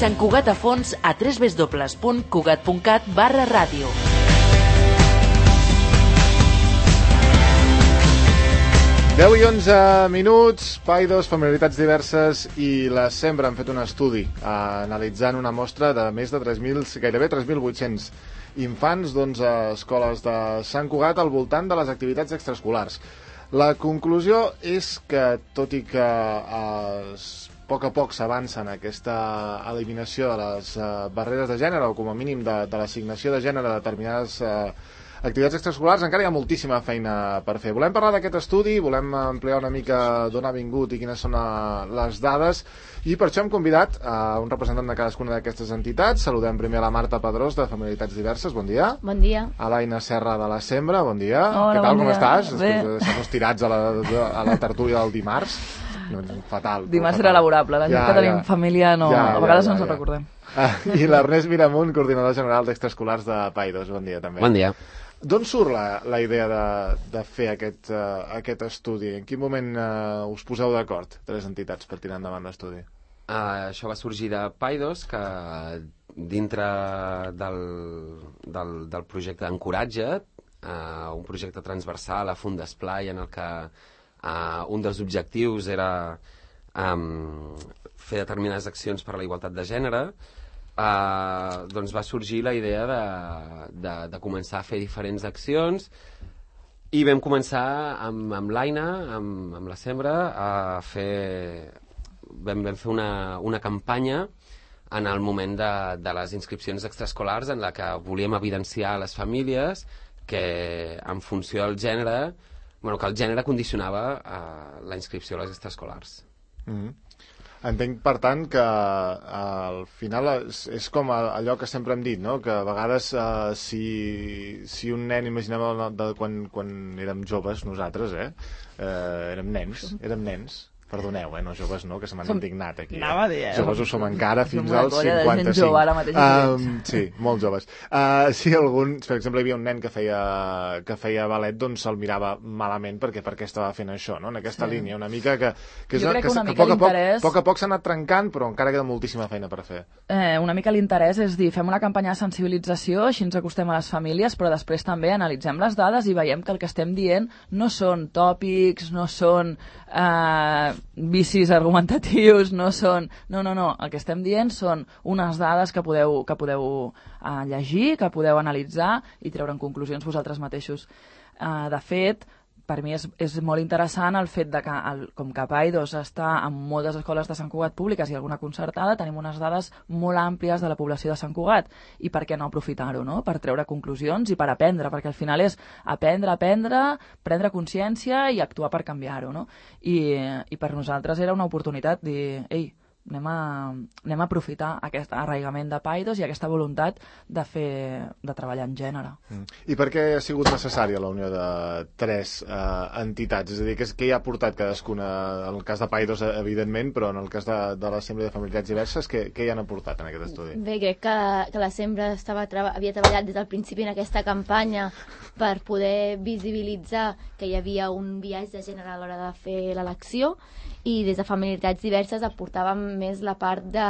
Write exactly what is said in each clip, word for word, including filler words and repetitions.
Sant Cugat a fons a w w w punt cugat punt cat barra ràdio. deu i onze minuts, Paidós, familiaritats diverses i la Sembra han fet un estudi eh, analitzant una mostra de més de tres mil, gairebé tres mil vuit-cents infants d'onze escoles de Sant Cugat al voltant de les activitats extraescolars. La conclusió és que, tot i que eh, a poc a poc s'avança en aquesta eliminació de les eh, barreres de gènere, o com a mínim de, de l'assignació de gènere a determinades eh, activitats extraescolars, encara hi ha moltíssima feina per fer. Volem parlar d'aquest estudi, volem ampliar una mica d'on ha vingut i quines són les dades, i per això hem convidat a un representant de cadascuna d'aquestes entitats. Saludem primer a la Marta Pedrós, de Familiaritats Diverses, bon dia. Bon dia. A l'Aina Serra, de la Sembra, bon dia. Hola, Què tal, bon com dia. estàs? Bé. Després de deixar-nos tirats a la, a la tertúlia del dimarts. No, fatal. Dimarts fatal. era laborable, la gent Ja, que tenim ja. família no, Ja, a ja, vegades ja, no ens ja. ho recordem. Ah, I l'Ernest Miramunt, coordinador general d'extraescolars de Paidós, bon dia també. Bon dia. D'on surt la, la idea de, de fer aquest, uh, aquest estudi? En quin moment uh, us poseu d'acord, tres entitats, per tirar endavant l'estudi? Uh, això va sorgir de Paidós, que dintre del, del, del projecte Encoratja't, uh, un projecte transversal a Fundesplai, en el que uh, un dels objectius era um, fer determinades accions per a la igualtat de gènere, Uh, doncs va sorgir la idea de, de, de començar a fer diferents accions, i vam començar amb, amb l'Aina, amb, amb la Sembra, a fer, vam, vam fer una, una campanya en el moment de, de les inscripcions extraescolars, en la que volíem evidenciar a les famílies que en funció del gènere, bueno, que el gènere condicionava uh, la inscripció a les extraescolars. Mm-hmm. Entenc, per tant, que uh, al final és, és com allò que sempre hem dit, no? Que a vegades uh, si, si un nen, imaginem el, de, quan, quan érem joves nosaltres, eh? Uh, érem nens, érem nens. Perdoneu, eh? No joves no, que se m'han Som... indignat aquí. Anava a dir, eh? Joves ho som encara fins Som una als colla de gent cinquanta-cinc. jove ara mateix. Um, sí, molt joves. Uh, si algun, per exemple, hi havia un nen que feia, que feia ballet, doncs se'l mirava malament perquè perquè estava fent això, no? En aquesta Sí. línia, una mica que, que, és, Jo crec que, que una que, mica poc a poc, l'interès- poc a poc s'ha anat trencant, però encara queda moltíssima feina per fer. Eh, una mica l'interès és dir, fem una campanya de sensibilització, així ens acostem a les famílies, però després també analitzem les dades i veiem que el que estem dient no són tòpics, no són eh, vicis argumentatius, no són... No, no, no, el que estem dient són unes dades que podeu, que podeu eh, llegir, que podeu analitzar i treure en conclusions vosaltres mateixos. Eh, de fet, per mi és, és molt interessant el fet de que, el, com que Paidós està en moltes escoles de Sant Cugat públiques i alguna concertada, tenim unes dades molt àmplies de la població de Sant Cugat. I per què no aprofitar-ho, no? Per treure conclusions i per aprendre, perquè al final és aprendre, aprendre, prendre consciència i actuar per canviar-ho, no? I, i per nosaltres era una oportunitat dir, ei, anem a, anem a aprofitar aquest arraigament de Paidós i aquesta voluntat de fer, de treballar en gènere. Mm. I per què ha sigut necessària la unió de tres eh, entitats? És a dir, què, què hi ha portat cadascuna? En el cas de Paidós, evidentment, però en el cas de, de la Sembra de Familiaritats Diverses, què, què hi han aportat en aquest estudi? Bé, crec que, que la Sembra estava treba, havia treballat des del principi en aquesta campanya per poder visibilitzar que hi havia un biaix de gènere a l'hora de fer l'elecció, i des de Familiaritats Diverses aportàvem més la part de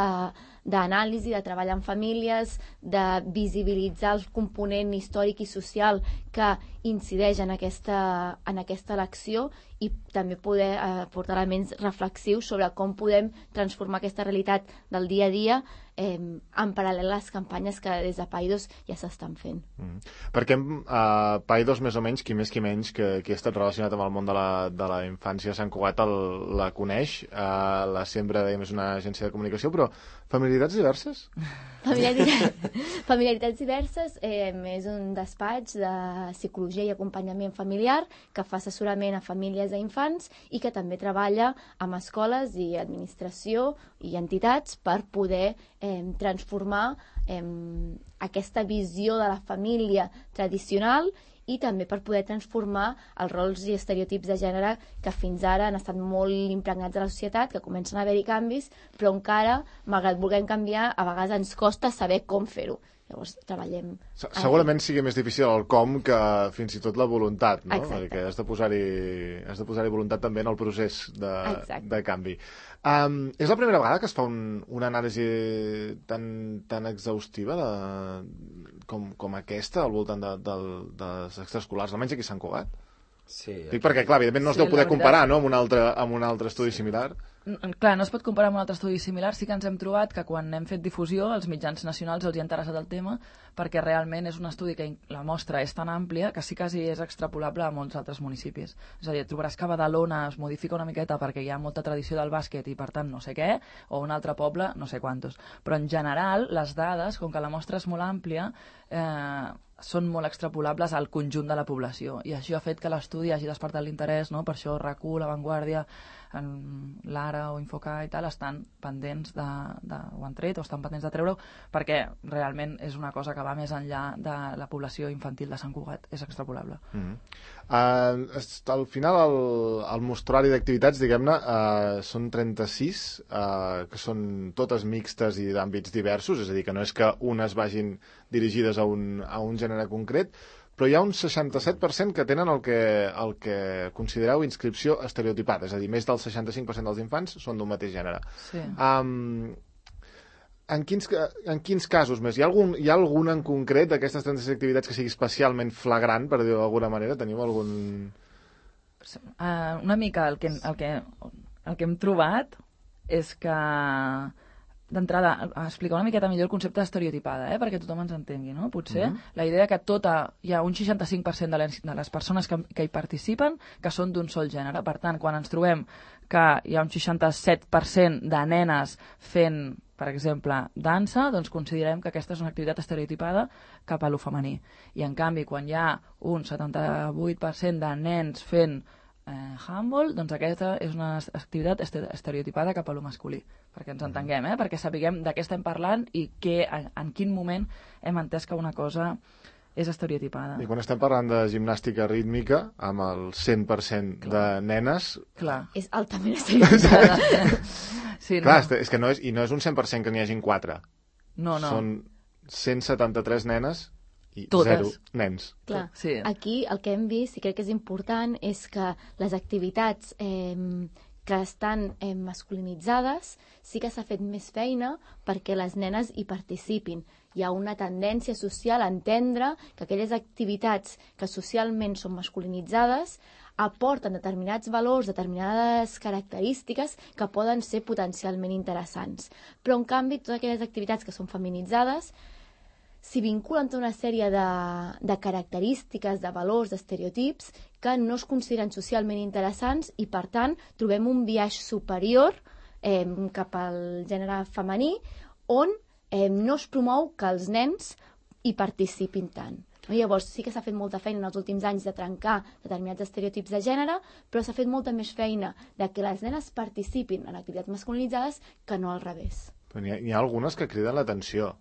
d'anàlisi, de treballar amb famílies, de visibilitzar el component històric i social que incideix en aquesta, en aquesta elecció, i també poder eh, portar elements reflexius sobre com podem transformar aquesta realitat del dia a dia eh, en paral·lel a les campanyes que des de Paidós ja s'estan fent. Mm. Perquè uh, Paidós, més o menys, qui més qui menys, que, que ha estat relacionat amb el món de la, de la infància a Sant Cugat el, la coneix. Uh, la Sembra, dèiem, és una agència de comunicació, però familiaritats diverses? Familiaritats, familiaritats diverses eh, és un despatx de psicologia i acompanyament familiar que fa assessorament a famílies i infants i que també treballa amb escoles i administració i entitats per poder eh, transformar eh, aquesta visió de la família tradicional i també per poder transformar els rols i estereotips de gènere que fins ara han estat molt impregnats a la societat, que comencen a haver-hi canvis, però encara, malgrat vulguem canviar, a vegades ens costa saber com fer-ho. Llavors treballem... Segurament sigui més difícil el com que fins i tot la voluntat, no? Exacte. Perquè has de posar-hi has de posar-hi voluntat també en el procés de, de canvi. Um, és la primera vegada que es fa un, una anàlisi tan, tan exhaustiva de, com, com aquesta al voltant de, de, dels extraescolars, almenys aquí a Sant Cugat? Sí. Dic perquè, clar, evidentment no es Sí, deu poder la veritat- comparar, no?, amb un altre, amb un altre estudi similar. N- Clar, no es pot comparar amb un altre estudi similar. Sí que ens hem trobat que quan hem fet difusió, els mitjans nacionals els hi ha interessat el tema, perquè realment és un estudi que in- la mostra és tan àmplia que sí quasi és extrapolable a molts altres municipis. És a dir, et trobaràs que Badalona es modifica una miqueta perquè hi ha molta tradició del bàsquet i per tant no sé què, o un altre poble no sé quantos. Però en general, les dades, com que la mostra és molt àmplia, eh, són molt extrapolables al conjunt de la població, i això ha fet que l'estudi hagi despertat l'interès, no? Per això R A C U, La Vanguardia, l'Ara o Infoca i tal estan pendents de, de, ho han tret o estan pendents de treure-ho, perquè realment és una cosa que va més enllà de la població infantil de Sant Cugat, és extrapolable. Mm -hmm. uh, al final el, el mostrari d'activitats, diguem-ne, uh, són trenta-sis, uh, que són totes mixtes i d'àmbits diversos, és a dir, que no és que unes vagin dirigides a un, a un gènere concret, però hi ha un seixanta-set per cent que tenen el que, el que considereu inscripció estereotipada, és a dir, més del seixanta-cinc per cent dels infants són d'un mateix gènere. Sí. Um, en, quins, en quins casos més? Hi ha algun, hi ha algun en concret d'aquestes trenta-sis activitats que sigui especialment flagrant, per dir-ho d'alguna manera? Teniu algun... Uh, una mica el que, el, que, el que hem trobat és que d'entrada, explicar una miqueta millor el concepte d'estereotipada, eh? Perquè tothom ens entengui, no? Potser Mhm. la idea que tota, hi ha un seixanta-cinc per cent de les, de les persones que, que hi participen que són d'un sol gènere. Per tant, quan ens trobem que hi ha un seixanta-set per cent de nenes fent, per exemple, dansa, doncs considerem que aquesta és una activitat estereotipada cap a lo femení. I en canvi, quan hi ha un setanta-vuit per cent de nens fent eh, handball, doncs aquesta és una activitat estereotipada cap a lo masculí, perquè ens entenguem, eh? Perquè sapiguem de què estem parlant i que, en, en quin moment hem entès que una cosa és estereotipada. I quan estem parlant de gimnàstica rítmica, amb el cent per cent de nenes... Clar. És altament estereotipada. Sí, Clar, no. és que no és, i no és un cent per cent que n'hi hagin quatre. No, no. Són cent setanta-tres nenes i Totes. zero nens. Clar, Sí. aquí el que hem vist, i crec que és important, és que les activitats eh, que estan eh, masculinitzades sí que s'ha fet més feina perquè les nenes hi participin. Hi ha una tendència social a entendre que aquelles activitats que socialment són masculinitzades aporten determinats valors, determinades característiques que poden ser potencialment interessants. Però, en canvi, totes aquelles activitats que són feminitzades s'hi vinculen tota una sèrie de, de característiques, de valors, d'estereotips que no es consideren socialment interessants i, per tant, trobem un biaix superior eh, cap al gènere femení on eh, no es promou que els nens hi participin tant. No? Llavors, sí que s'ha fet molta feina en els últims anys de trencar determinats estereotips de gènere, però s'ha fet molta més feina de que les nenes participin en activitats masculinitzades que no al revés. Però n'hi ha, n'hi ha algunes que criden l'atenció.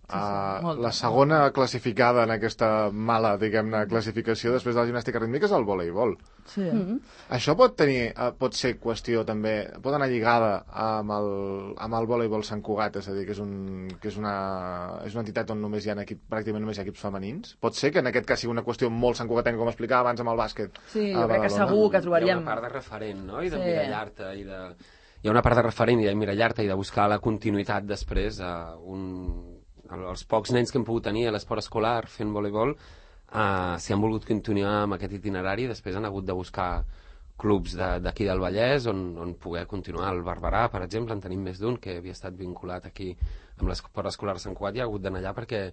Sí, sí, Uh, molt. la segona classificada en aquesta mala, diguem-ne, classificació després de la gimnàstica rítmica és el voleibol. Sí. Mm-hmm. Això pot tenir, uh, pot ser qüestió també, pot anar lligada amb el, amb el voleibol Sant Cugat, és a dir, que és, un, que és, una, és una entitat on només hi ha equip, pràcticament només hi ha equips femenins. Pot ser que en aquest cas sigui una qüestió molt santcugatenca, com explicava abans amb el bàsquet. Sí, a jo crec que Badalona. segur que Hi ha trobaríem... una part de referent, no? I de Sí. mirallar-te i de... Hi ha una part de referent i de mirallar-te i de buscar la continuïtat després a un... els pocs nens que hem pogut tenir a l'esport escolar fent voleibol, eh, si han volgut continuar amb aquest itinerari, després han hagut de buscar clubs d'aquí de, del Vallès on, on poder continuar. El Barberà, per exemple, en tenim més d'un que havia estat vinculat aquí amb l'esport escolar de Sant Cugat i ha hagut d'anar allà perquè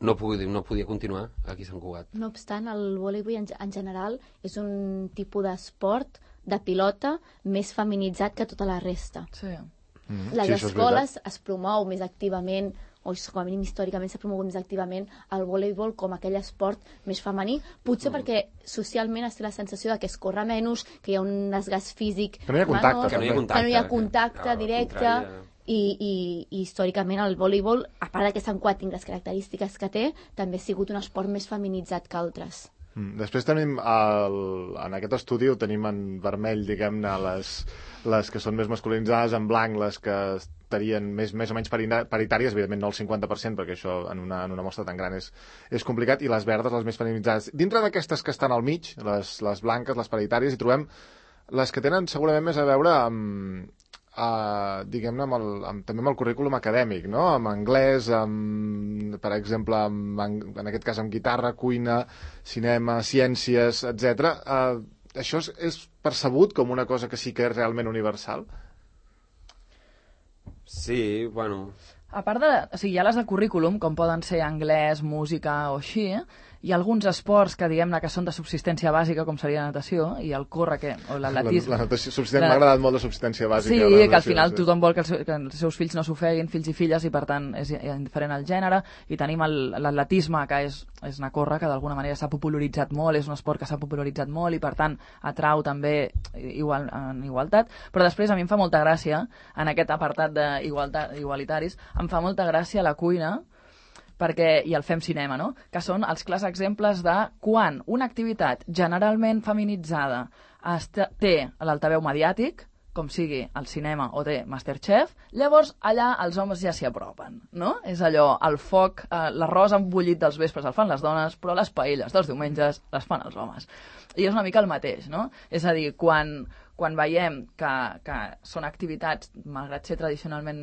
no podia, no podia continuar aquí a Sant Cugat. No obstant, el voleibol en, en general és un tipus d'esport de pilota més feminitzat que tota la resta. Sí. Mm-hmm. Les Sí, això és escoles es promou més activament, o com a mínim històricament s'ha promogut més activament el voleibol com aquell esport més femení, potser mm. perquè socialment es té la sensació de que es corre menys, que hi ha un desgast físic Que no hi ha contacte, menor, Que no hi ha també. contacte. que no hi ha contacte al directe, contrari, eh. i, i, i històricament el voleibol, a part de que Sant Cugat tingui les característiques que té, també ha sigut un esport més feminitzat que altres. Mm. Després tenim, el, en aquest estudi ho tenim en vermell, diguem-ne, les, les que són més masculinitzades, en blanc les que optarien més, més o menys paritàries, evidentment no el cinquanta per cent, perquè això en una, en una mostra tan gran és, és complicat, i les verdes les més feminitzades. Dintre d'aquestes que estan al mig, les, les blanques, les paritàries, hi trobem les que tenen segurament més a veure amb, Uh, diguem-ne, amb el, amb, també amb el currículum acadèmic, no? Amb anglès, amb, per exemple, amb, en aquest cas amb guitarra, cuina, cinema, ciències, etcètera. Uh, això és, és percebut com una cosa que sí que és realment universal? Sí, bueno... A part de... O sigui, hi ha les de currículum, com poden ser anglès, música o així, hi ha alguns esports que, diguem-ne, que són de subsistència bàsica, com seria la natació, i el córrer, que, o l'atletisme... La, la natació, subsistència, la... m'ha agradat molt la subsistència bàsica. Sí, natació, que al final sí. Tothom vol que els, que els seus fills no s'ofeguin, fills i filles, i per tant és indiferent al gènere, i tenim l'atletisme, que és, és anar a córrer, que d'alguna manera s'ha popularitzat molt, és un esport que s'ha popularitzat molt, i per tant atrau també igual, en igualtat, però després a mi em fa molta gràcia, en aquest apartat d'igualitaris, em fa molta gràcia la cuina, perquè, i el fem cinema, no? Que són els clars exemples de quan una activitat generalment feminitzada té l'altaveu mediàtic, com sigui el cinema o té Masterchef, llavors allà els homes ja s'hi apropen, no? És allò, el foc, eh, l'arròs embullit dels vespres el fan les dones, però les paelles dels diumenges les fan els homes. I és una mica el mateix, no? És a dir, quan, quan veiem que, que són activitats, malgrat ser tradicionalment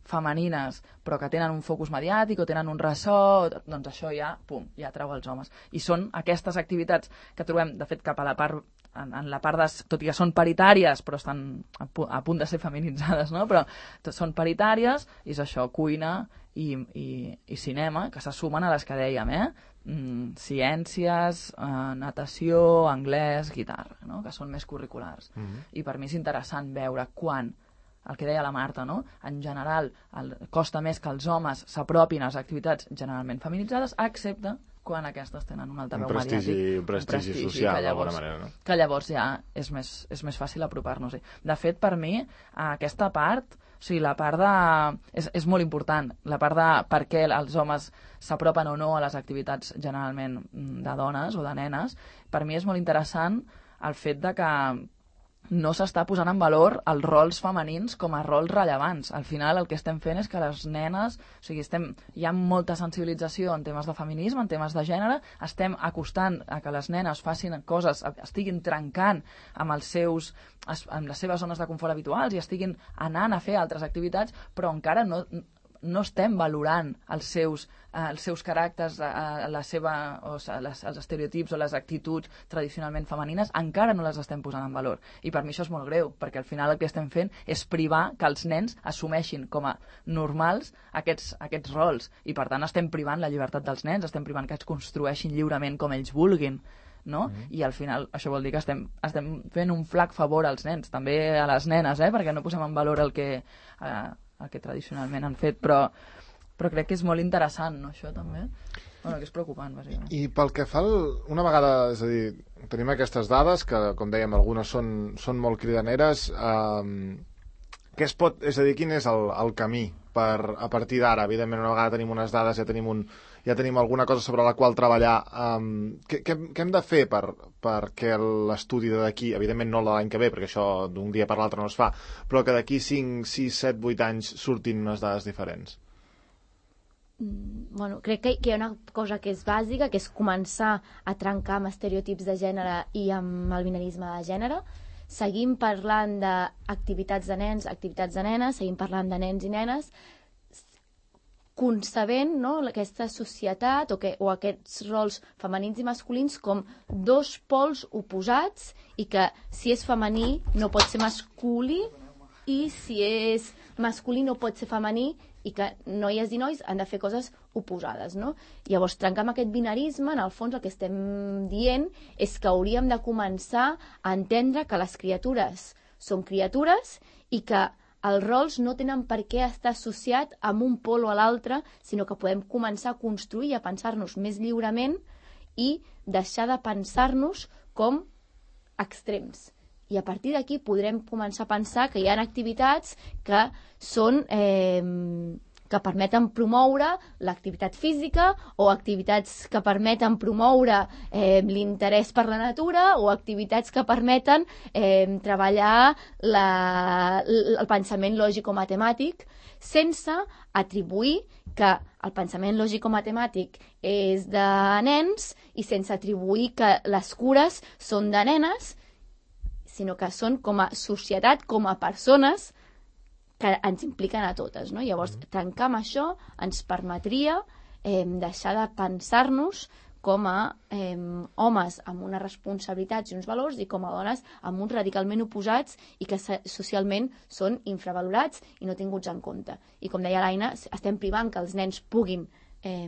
femenines, però que tenen un focus mediàtic o tenen un ressò, doncs això ja, pum, ja atrau els homes. I són aquestes activitats que trobem, de fet, cap a la part, en, en la part de, tot i que són paritàries, però estan a, pu a punt de ser feminitzades, no? Però són paritàries, i és això, cuina i, i, i cinema, que se sumen a les que dèiem, eh? Mm, ciències, eh, natació, anglès, guitarra, no? Que són més curriculars. Mm-hmm. I per mi és interessant veure quan, el que deia la Marta, no? En general, el, costa més que els homes s'apropin a les activitats generalment feminitzades, excepte quan aquestes tenen un altaveu mediàtic. Un prestigi social, d'alguna manera, no? Que llavors ja és més, és més fàcil apropar-nos-hi. De fet, per mi, aquesta part, o sigui, la part de... És, és molt important, la part de per què els homes s'apropen o no a les activitats generalment de dones o de nenes, per mi és molt interessant el fet de que no s'està posant en valor els rols femenins com a rols rellevants. Al final el que estem fent és que les nenes, o sigui, estem, hi ha molta sensibilització en temes de feminisme, en temes de gènere, estem acostant a que les nenes facin coses, estiguin trencant amb, els seus, amb les seves zones de confort habituals i estiguin anant a fer altres activitats, però encara no... no estem valorant els seus, eh, els seus caràcters, eh, la seva, o les, els estereotips o les actituds tradicionalment femenines, encara no les estem posant en valor. I per mi això és molt greu, perquè al final el que estem fent és privar que els nens assumeixin com a normals aquests, aquests rols. I per tant estem privant la llibertat dels nens, estem privant que es construeixin lliurement com ells vulguin. No? Mm-hmm. I al final això vol dir que estem, estem fent un flac favor als nens, també a les nenes, eh? Perquè no posem en valor el que... Eh, el que tradicionalment han fet, però, però crec que és molt interessant, no, això també? Bueno, que és preocupant, bàsicament. I pel que fa, el, una vegada, és a dir, tenim aquestes dades, que, com dèiem, algunes són, són molt cridaneres, eh, què es pot, és a dir, quin és el, el camí per, a partir d'ara? Evidentment, una vegada tenim unes dades, ja tenim un... ja tenim alguna cosa sobre la qual treballar. Um, què, què, què hem de fer per, perquè l'estudi d'aquí, evidentment no l'any que ve, perquè això d'un dia per l'altre no es fa, però que d'aquí cinc, sis, set, vuit anys surtin unes dades diferents? Bueno, crec que, que hi ha una cosa que és bàsica, que és començar a trencar amb estereotips de gènere i amb el binarisme de gènere. Seguim parlant d'activitats de nens, activitats de nenes, seguim parlant de nens i nenes, concebent, no, aquesta societat o, que, o aquests rols femenins i masculins com dos pols oposats i que si és femení no pot ser masculí i si és masculí no pot ser femení i que noies i nois han de fer coses oposades, no? Llavors, trencar amb aquest binarisme, en el fons el que estem dient és que hauríem de començar a entendre que les criatures són criatures i que els rols no tenen per què estar associat amb un pol o a l'altre, sinó que podem començar a construir i a pensar-nos més lliurement i deixar de pensar-nos com extrems. I a partir d'aquí podrem començar a pensar que hi ha activitats que són, eh, que permeten promoure l'activitat física o activitats que permeten promoure eh, l'interès per la natura o activitats que permeten eh, treballar la, el pensament lògico-matemàtic sense atribuir que el pensament lògico-matemàtic és de nens i sense atribuir que les cures són de nenes, sinó que són com a societat, com a persones que ens impliquen a totes, no? Llavors, trencar amb això ens permetria eh, deixar de pensar-nos com a eh, homes amb unes responsabilitats i uns valors i com a dones amb uns radicalment oposats i que socialment són infravalorats i no tinguts en compte. I com deia l'Aina, estem privant que els nens puguin eh,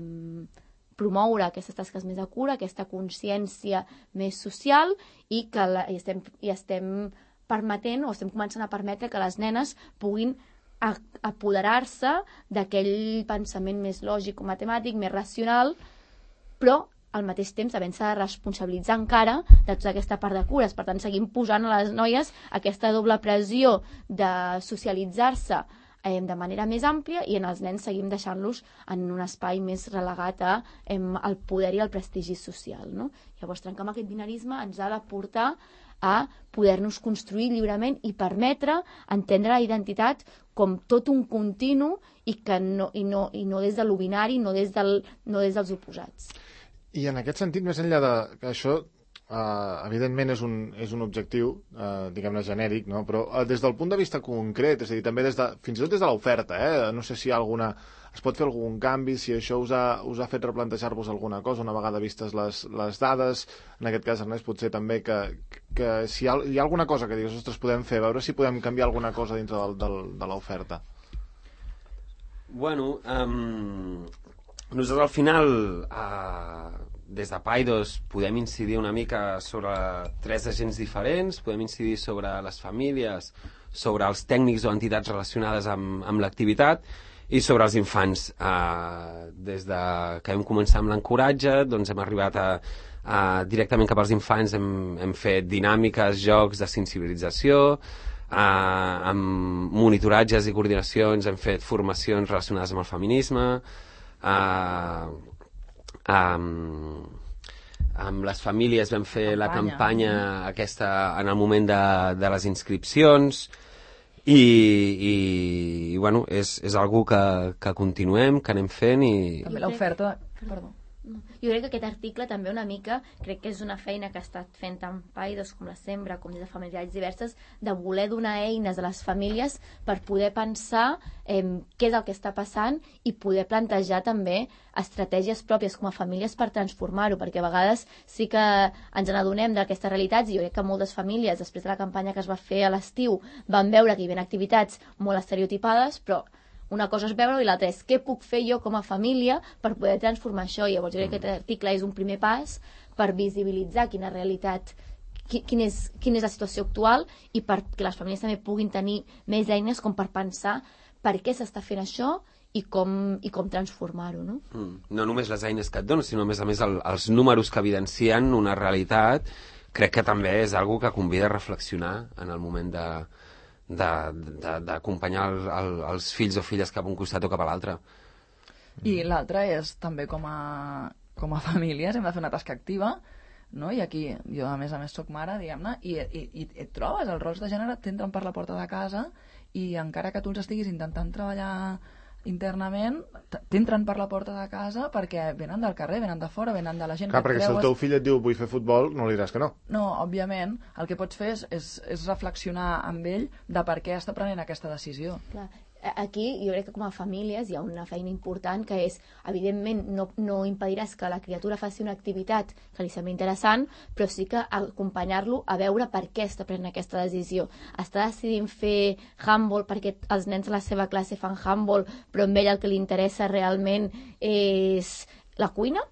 promoure aquestes tasques més de cura, aquesta consciència més social i que la, i estem, i estem permetent o estem començant a permetre que les nenes puguin a, apoderar-se d'aquell pensament més lògic o matemàtic, més racional, però al mateix temps havent-se de responsabilitzar encara de tota aquesta part de cures. Per tant, seguim posant a les noies aquesta doble pressió de socialitzar-se eh, de manera més àmplia i en els nens seguim deixant-los en un espai més relegat a, eh, al poder i al prestigi social, no? Llavors, trencar amb aquest binarisme ens ha de portar a poder-nos construir lliurement i permetre entendre la identitat com tot un continu i, que no, i, no, i no des de l'obinari, no, des del, no des dels oposats. I en aquest sentit, més enllà de que això, eh, evidentment és un, és un objectiu, eh, diguem-ne, genèric, no? Però eh, des del punt de vista concret, és a dir, també des de, fins i tot des de l'oferta, eh? No sé si hi ha alguna, es pot fer algun canvi, si això us ha, us ha fet replantejar-vos alguna cosa, una vegada vistes les, les dades, en aquest cas, Ernest, potser també que, que si hi ha, hi ha alguna cosa que digues, ostres, podem fer, a veure si podem canviar alguna cosa dintre del, del, de l'oferta. Bueno, um, nosaltres al final, uh, des de Paidos, podem incidir una mica sobre tres agents diferents, podem incidir sobre les famílies, sobre els tècnics o entitats relacionades amb, amb l'activitat i sobre els infants. Uh, des de que vam començar amb l'encoratge, doncs hem arribat a, a directament cap als infants, hem, hem fet dinàmiques, jocs de sensibilització, uh, amb monitoratges i coordinacions, hem fet formacions relacionades amb el feminisme, Uh, um, amb les famílies vam fer campanya. la campanya aquesta en el moment de, de les inscripcions i, i, i bueno, és, és algú que, que continuem, que anem fent i... També l'oferta... Perdó. Jo crec que aquest article també una mica, crec que és una feina que ha estat fent tant Paidos com la Sembra, com des de familiars diverses, de voler donar eines a les famílies per poder pensar eh, què és el que està passant i poder plantejar també estratègies pròpies com a famílies per transformar-ho, perquè a vegades sí que ens n'adonem d'aquestes realitats i jo crec que moltes famílies, després de la campanya que es va fer a l'estiu, van veure que hi havia activitats molt estereotipades, però una cosa és veure-ho i l'altra és què puc fer jo com a família per poder transformar això. I llavors jo crec que aquest article és un primer pas per visibilitzar quina realitat, quin és, quina és la situació actual i perquè les famílies també puguin tenir més eines com per pensar per què s'està fent això i com, i com transformar-ho, no? Mm. No només les eines que et donen, sinó a més a més el, els números que evidencien una realitat, crec que també és algo que convida a reflexionar en el moment de d'acompanyar el, el, els fills o filles cap a un costat o cap a l'altre. I l'altre és també com a, com a famílies hem de fer una tasca activa, no? I aquí jo a més a més soc mare, diguem-ne, i, i, i et trobes, els rols de gènere t'entren per la porta de casa i encara que tu els estiguis intentant treballar internament, t'entren per la porta de casa perquè venen del carrer, venen de fora, venen de la gent Clar, que perquè creues... si el teu fill et diu vull fer futbol, no li diràs que no. No, òbviament, el que pots fer és, és, és reflexionar amb ell de per què està prenent aquesta decisió. Clar. Aquí jo crec que com a famílies hi ha una feina important que és, evidentment, no, no impediràs que la criatura faci una activitat que li sembli interessant, però sí que acompanyar-lo a veure per què està prenent aquesta decisió. Està decidint fer handball perquè els nens a la seva classe fan handball, però a ell el que li interessa realment és la cuina?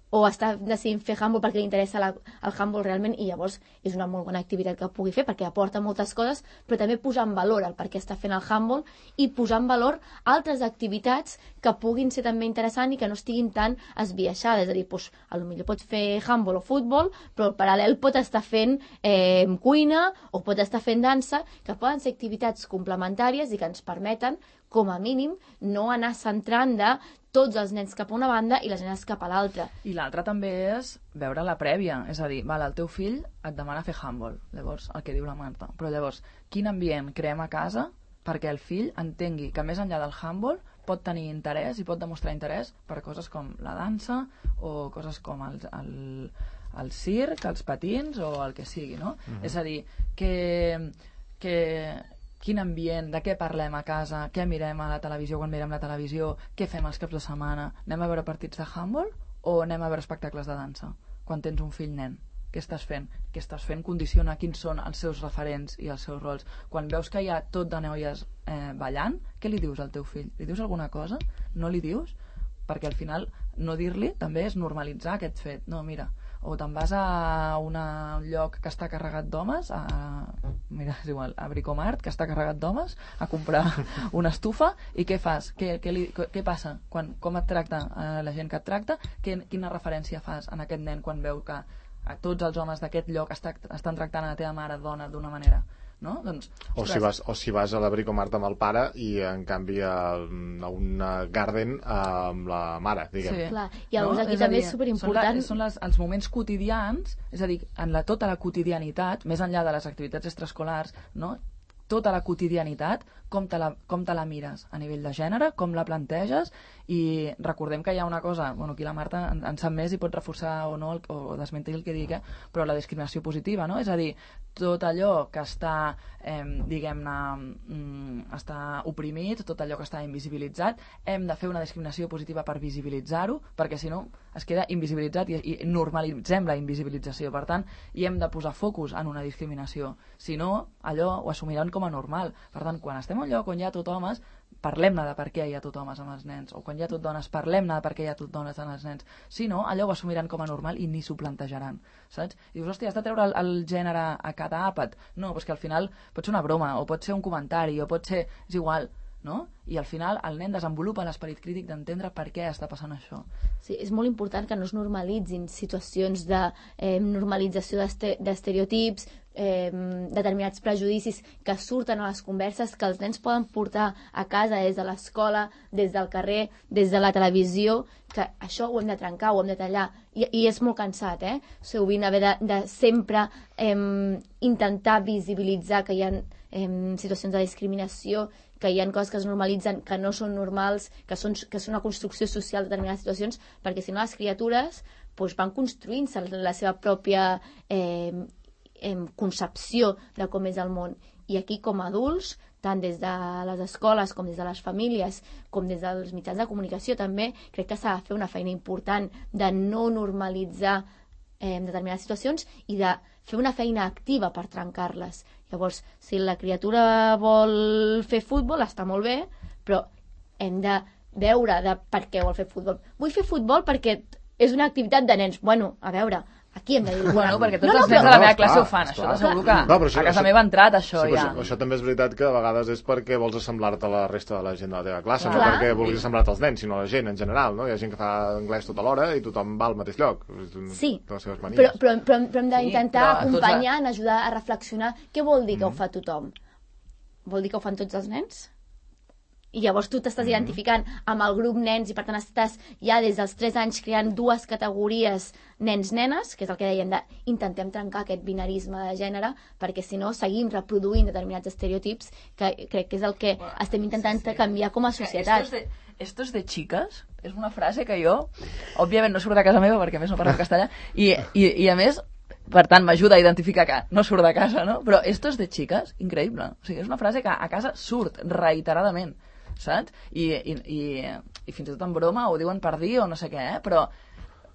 O està decidint fer handball perquè li interessa la, el handball realment i llavors és una molt bona activitat que pugui fer perquè aporta moltes coses, però també posar en valor el per què està fent el handball i posar en valor altres activitats que puguin ser també interessants i que no estiguin tan esbiaixades. És a dir, doncs, potser pot fer handball o futbol, però al paral·lel pot estar fent eh, cuina o pot estar fent dansa, que poden ser activitats complementàries i que ens permeten com a mínim, no anar centrant de tots els nens cap a una banda i les nenes cap a l'altra. I l'altre també és veure la prèvia, és a dir, val, el teu fill et demana fer handball, llavors, el que diu la Marta, però llavors, quin ambient creem a casa perquè el fill entengui que més enllà del handball pot tenir interès i pot demostrar interès per coses com la dansa o coses com el, el, el circ, els patins o el que sigui, no? Mm-hmm. És a dir, que, que quin ambient, de què parlem a casa, què mirem a la televisió quan mirem la televisió, què fem els caps de setmana, anem a veure partits de handball o anem a veure espectacles de dansa quan tens un fill nen? Què estàs fent? Què estàs fent condiciona quins són els seus referents i els seus rols. Quan veus que hi ha tot de noies eh, ballant, què li dius al teu fill? Li dius alguna cosa? No li dius? Perquè al final no dir-li també és normalitzar aquest fet. No, mira, o te'n vas a una, un lloc que està carregat d'homes, a, mira, és igual, a Bricomart, que està carregat d'homes, a comprar una estufa, i què fas? Què, què, li, què passa? Quan, com et tracta eh, la gent que et tracta? Que, quina referència fas en aquest nen quan veu que a tots els homes d'aquest lloc està, estan tractant a la teva mare dona d'una manera, no? Doncs, o, si vas, o si vas a la Bricomart amb el pare i en canvi a, a una Garden amb la mare, diguem. Sí. Clar. I llavors no? aquí és també dir, és superimportant... Són, la, són les, els moments quotidians, és a dir, en la, tota la quotidianitat, més enllà de les activitats extraescolars, no? Tota la quotidianitat, com te la, com te la mires a nivell de gènere, com la planteges, i recordem que hi ha una cosa, bueno, aquí la Marta en, en sap més i pot reforçar o no, el, o desmentir el que digui, eh? Però la discriminació positiva, no? És a dir, tot allò que està, eh, diguem-ne, mm, està oprimit, tot allò que està invisibilitzat, hem de fer una discriminació positiva per visibilitzar-ho, perquè si no es queda invisibilitzat i, i normalitzem la invisibilització. Per tant, hi hem de posar focus en una discriminació. Si no, allò ho assumiran com a normal. Per tant, quan estem en un lloc on hi ha tot homes, parlem-ne de per què hi ha tot homes amb els nens, o quan hi ha tot dones, parlem-ne de per què hi ha tot dones amb els nens. Si no, allò ho assumiran com a normal i ni s'ho plantejaran, saps? I dius, hòstia, has de treure el, el gènere a cada àpat? No, doncs que al final pot ser una broma, o pot ser un comentari, o pot ser... és igual, no? I al final el nen desenvolupa l'esperit crític d'entendre per què està passant això. Sí, és molt important que no es normalitzin situacions de eh, normalització d'estereotips, eh, determinats prejudicis que surten a les converses, que els nens poden portar a casa des de l'escola, des del carrer, des de la televisió, que això ho hem de trencar, ho hem de tallar, i, i és molt cansat, eh? Sovint haver de, de sempre eh, intentar visibilitzar que hi ha eh, situacions de discriminació, que hi ha coses que es normalitzen, que no són normals, que són, que són una construcció social de determinades situacions, perquè si no les criatures doncs, van construint-se la seva pròpia eh, eh, concepció de com és el món. I aquí, com a adults, tant des de les escoles com des de les famílies, com des dels mitjans de comunicació també, crec que s'ha de fer una feina important de no normalitzar eh, determinades situacions i de fer una feina activa per trencar-les. Llavors, si la criatura vol fer futbol, està molt bé, però hem de veure de per què vol fer futbol. Vull fer futbol perquè és una activitat de nens. Bueno, a veure, aquí hem de dir... Bueno, perquè tots no, no, els nens de la meva classe ho fan, això t'asseguro que no, això, a casa meva ha entrat això sí, ja. Això, això també és veritat que a vegades és perquè vols assemblar-te a la resta de la gent de la teva classe, clar. No perquè vulguis assemblar-te als nens, sinó a la gent en general, no? Hi ha gent que fa anglès tota l'hora i tothom va al mateix lloc. Sí, però, però, però, però hem d'intentar sí, acompanyar, la... ajudar a reflexionar què vol dir que mm. ho fa tothom. Vol dir que ho fan tots els nens? I llavors tu t'estàs mm-hmm. identificant amb el grup nens i per tant estàs ja des dels tres anys creant dues categories nens-nenes, que és el que dèiem de intentem trencar aquest binarisme de gènere, perquè si no seguim reproduint determinats estereotips que crec que és el que bueno, estem intentant sí, sí. canviar com a societat. Esto es, de, esto es de chicas és una frase que jo, òbviament no surt de casa meva perquè a més no parlo castellà i, i, i a més per tant m'ajuda a identificar que no surt de casa, no? Però esto es de chicas, increïble. O sigui, és una frase que a casa surt reiteradament, saps? I, i, i, i fins i tot en broma ho diuen per dir o no sé què, eh? Però,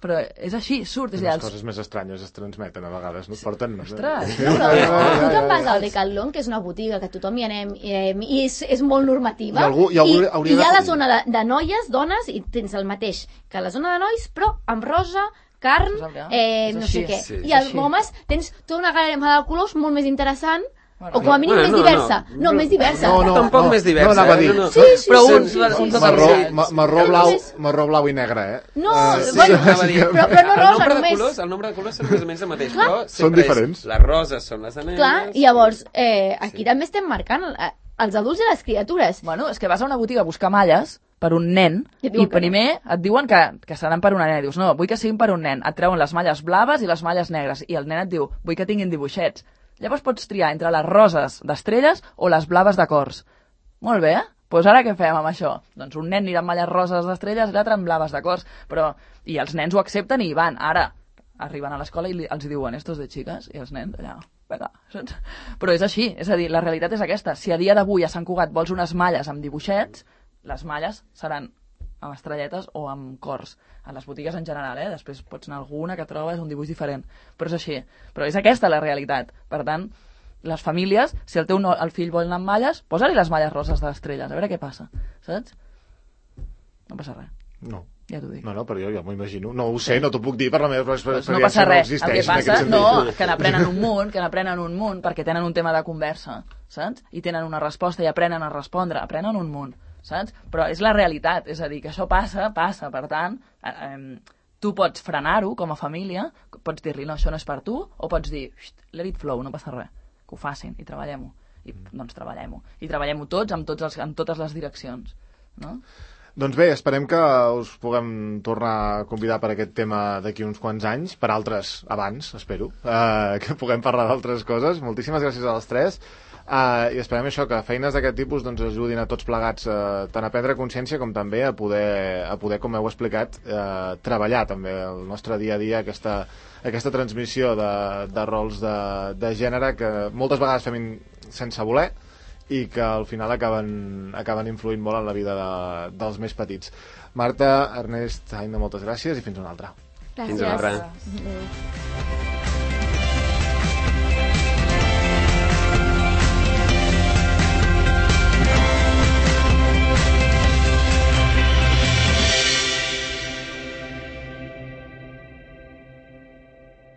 però és així, surt. Les els... coses més estranyes es transmeten a vegades, no? Porten... Ostres! No, però tu te'n vas al Decathlon, que és una botiga que tothom hi anem, eh, i és, és molt normativa, I, algú, i, algú, i, i hi ha la zona de, de noies, dones, i tens el mateix que la zona de nois, però amb rosa, carn, eh, no sé què. Sí, I als homes tens tota una gamma de colors molt més interessant, o com a mínim bueno, més no, diversa. No, no, no més diversa. No, no, tampoc no, més diversa. No, anava a dir. Eh? No, no. Sí, sí, però sí, un, sí, un, sí, un sí, marró, sí. ma, marró, blau, marró blau i negre, eh? No, uh, bueno, sí, però, però no rosa, el només. Colors, el nombre de colors són més o menys el mateix, Clar. però són diferents. És, les roses són les de nenes. Clar, i llavors, eh, aquí sí. també estem marcant els adults i les criatures. Bueno, és que vas a una botiga a buscar malles per un nen i, i primer no. et diuen que, que seran per una nena. Dius, no, vull que siguin per un nen. Et treuen les malles blaves i les malles negres. I el nen et diu, vull que tinguin dibuixets. Llavors pots triar entre les roses d'estrelles o les blaves de cors. Molt bé, doncs pues ara què fem amb això? Doncs un nen anirà amb malles roses d'estrelles i l'altre amb blaves de cors. Però, i els nens ho accepten i hi van. Ara, arriben a l'escola i li, els diuen, estos de xiques, i els nens allà... Vinga, saps? Però és així, és a dir, la realitat és aquesta. Si a dia d'avui a Sant Cugat vols unes malles amb dibuixets, les malles seran amb estrelletes o amb cors. A les botigues en general, eh? Després pots anar a alguna que trobes un dibuix diferent. Però és així. Però és aquesta la realitat. Per tant, les famílies, si el teu no, el fill vol anar amb malles, posa-li les malles roses de les estrelles, a veure què passa. Saps? No passa res. No. Ja t'ho dic. No, no, però jo ja m'ho imagino. No ho sé, no t'ho puc dir per la meva experiència. Pues no passa res. El que passa, no, que n'aprenen un munt, que n'aprenen un munt, perquè tenen un tema de conversa, saps? I tenen una resposta i aprenen a respondre, aprenen un munt, saps? Però és la realitat, és a dir, que això passa, passa, per tant, eh, eh, tu pots frenar-ho com a família, pots dir-li, no, això no és per tu, o pots dir, let it flow, no passa res, que ho facin i treballem-ho. I doncs treballem-ho. I treballem-ho tots, amb, tots els, amb totes les direccions, no? Doncs bé, esperem que us puguem tornar a convidar per aquest tema d'aquí uns quants anys, per altres abans, espero, uh, que puguem parlar d'altres coses. Moltíssimes gràcies a les tres, uh, i esperem això, que feines d'aquest tipus doncs, ajudin a tots plegats uh, tant a prendre consciència com també a poder, a poder com heu explicat, uh, treballar també el nostre dia a dia, aquesta, aquesta transmissió de, de rols de, de gènere que moltes vegades fem in, sense voler, i que al final acaben, acaben influint molt en la vida de, dels més petits. Marta, Ernest, Aina, moltes gràcies i fins una altra. Gràcies. Fins una altra. Adéu.